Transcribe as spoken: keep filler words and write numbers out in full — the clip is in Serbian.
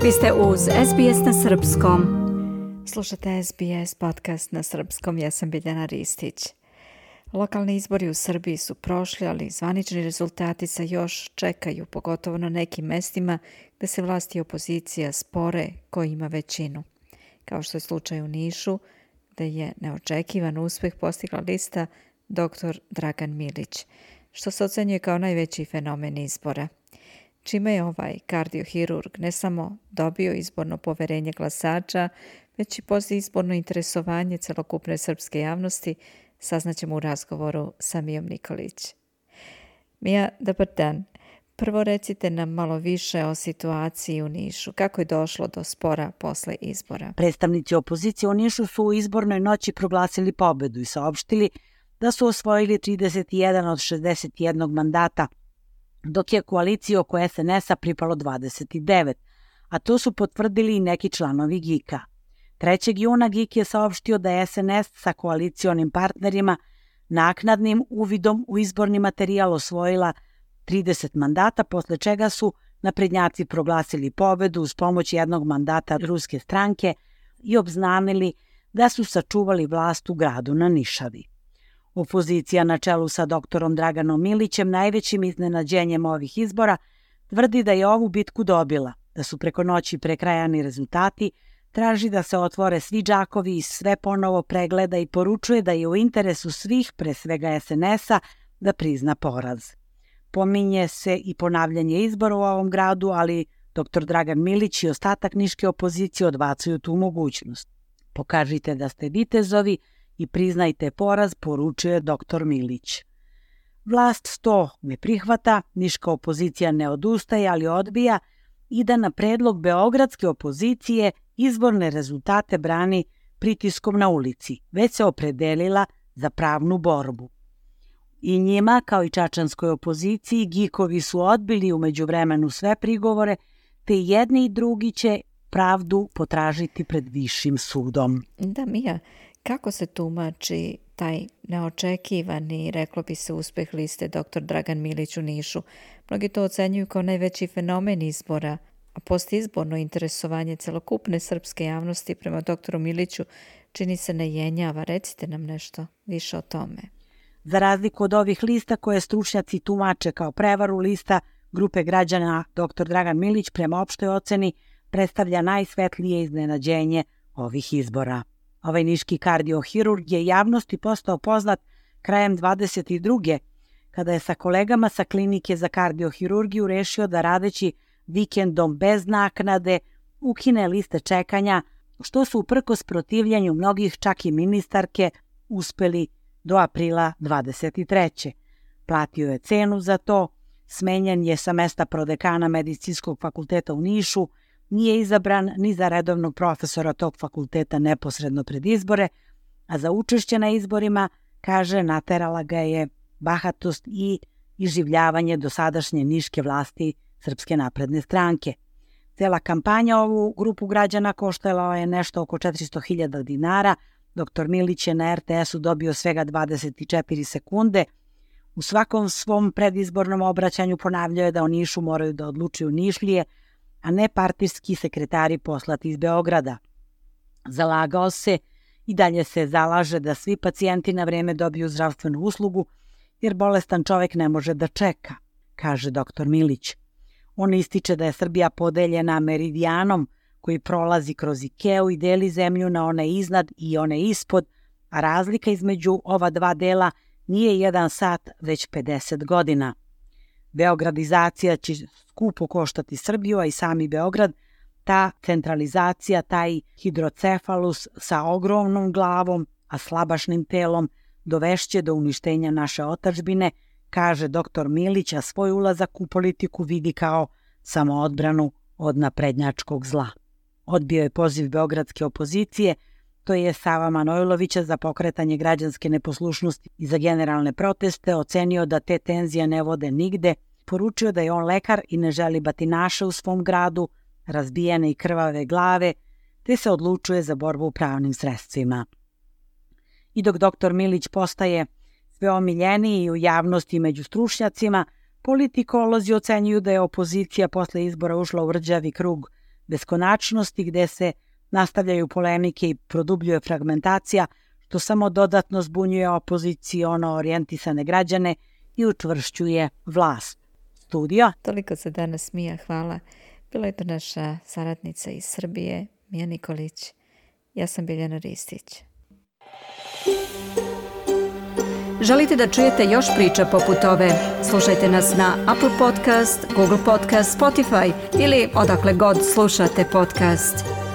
Vi ste uz S B S na srpskom. Slušate S B S podcast na srpskom, ja sam Biljana Ristić. Lokalni izbori u Srbiji su prošli, ali zvanični rezultati se još čekaju, pogotovo na nekim mestima gde se vlasti i opozicija spore ko ima većinu. Kao što je slučaj u Nišu, gde je neočekivan uspeh postigla lista doktor Dragan Milić, što se ocenjuje kao najveći fenomen izbora. Čime je ovaj kardiohirurg ne samo dobio izborno poverenje glasača, već i postizborno interesovanje celokupne srpske javnosti, saznaćemo u razgovoru sa Mijom Nikolić. Mija, dobar dan. Prvo recite nam malo više o situaciji u Nišu. Kako je došlo do spora posle izbora? Predstavnici opozicije u Nišu su u izbornoj noći proglasili pobedu i saopštili da su osvojili trideset jedan od šezdeset jednog mandata, dok je koaliciji oko S N S-a pripalo dvadeset devet, a to su potvrdili i neki članovi G I K-a. trećeg juna G I K je saopštio da je S N S sa koalicionim partnerima naknadnim uvidom u izborni materijal osvojila trideset mandata, posle čega su naprednjaci proglasili pobedu uz pomoć jednog mandata ruske stranke i obznanili da su sačuvali vlast u gradu na Nišavi. Opozicija na čelu sa doktorom Draganom Milićem, najvećim iznenađenjem ovih izbora, tvrdi da je ovu bitku dobila, da su preko noći prekrajani rezultati, traži da se otvore svi džakovi i sve ponovo pregleda i poručuje da je u interesu svih, pre svega S N S-a, da prizna poraz. Pominje se i ponavljanje izbora u ovom gradu, ali doktor Dragan Milić i ostatak niške opozicije odbacuju tu mogućnost. Pokažite da ste vitezovi i priznajte poraz, poručuje doktor Milić. Vlast to ne prihvata, niška opozicija ne odustaje, ali odbija i da na predlog beogradske opozicije izborne rezultate brani pritiskom na ulici, već se opredelila za pravnu borbu. I njima, kao i čačanskoj opoziciji, Gikovi su odbili u međuvremenu sve prigovore, te jedni i drugi će pravdu potražiti pred višim sudom. Da, Mija, kako se tumači taj neočekivani, reklo bi se, uspeh liste doktor Dragan Milić u Nišu? Mnogi to ocenjuju kao najveći fenomen izbora, a postizborno interesovanje celokupne srpske javnosti prema doktoru Miliću čini se ne jenjava. Recite nam nešto više o tome. Za razliku od ovih lista koje stručnjaci tumače kao prevaru, lista grupe građana doktor Dragan Milić prema opštoj oceni predstavlja najsvetlije iznenađenje ovih izbora. Ovaj niški kardiohirurg je javnosti postao poznat krajem dvadeset druge kada je sa kolegama sa klinike za kardiohirurgiju rešio da radeći vikendom bez naknade ukine liste čekanja, što su uprkos protivljenju mnogih, čak i ministarke, uspeli do aprila dvadeset treće. Platio je cenu za to, smenjen je sa mesta prodekana Medicinskog fakulteta u Nišu, nije izabran ni za redovnog profesora tog fakulteta neposredno pred izbore, a za učešće na izborima, kaže, naterala ga je bahatost i iživljavanje dosadašnje niške vlasti Srpske napredne stranke. Cela kampanja ovu grupu građana koštala je nešto oko četiristo hiljada dinara, doktor Milić je na R T S-u dobio svega dvadeset četiri sekunde. U svakom svom predizbornom obraćanju ponavljao je da o Nišu moraju da odlučuju Nišlije, a ne partijski sekretari poslati iz Beograda. Zalagao se i dalje se zalaže da svi pacijenti na vreme dobiju zdravstvenu uslugu, jer bolestan čovek ne može da čeka, kaže doktor Milić. On ističe da je Srbija podeljena meridijanom koji prolazi kroz Ikeu i deli zemlju na one iznad i one ispod, a razlika između ova dva dela nije jedan sat, već pedeset godina. Beogradizacija će skupo koštati Srbiju, a i sami Beograd, ta centralizacija, taj hidrocefalus sa ogromnom glavom, a slabašnim telom, dovešće do uništenja naše otadžbine, kaže doktor Milić, a svoj ulazak u politiku vidi kao samoodbranu od naprednjačkog zla. Odbio je poziv beogradske opozicije, to je Sava Manojlovića, za pokretanje građanske neposlušnosti i za generalne proteste, ocenio da te tenzije ne vode nigde, poručio da je on lekar i ne želi batinaše u svom gradu, razbijene i krvave glave, te se odlučuje za borbu pravnim sredstvima. I dok doktor Milić postaje sve omiljeniji u javnosti među stručnjacima, politikolozi ocenjuju da je opozicija posle izbora ušla u rđavi krug beskonačnosti gde se nastavljaju polemike i produbljuje fragmentacija, što samo dodatno zbunjuje opoziciono orijentisane građane i učvršćuje vlast. Studio. Toliko za danas, Mija, hvala. Bila je to naša saradnica iz Srbije, Mija Nikolić. Ja sam Biljana Ristić. Želite da čujete još priča poput ove? Slušajte nas na Apple Podcast, Google Podcast, Spotify ili odakle god slušate podcast.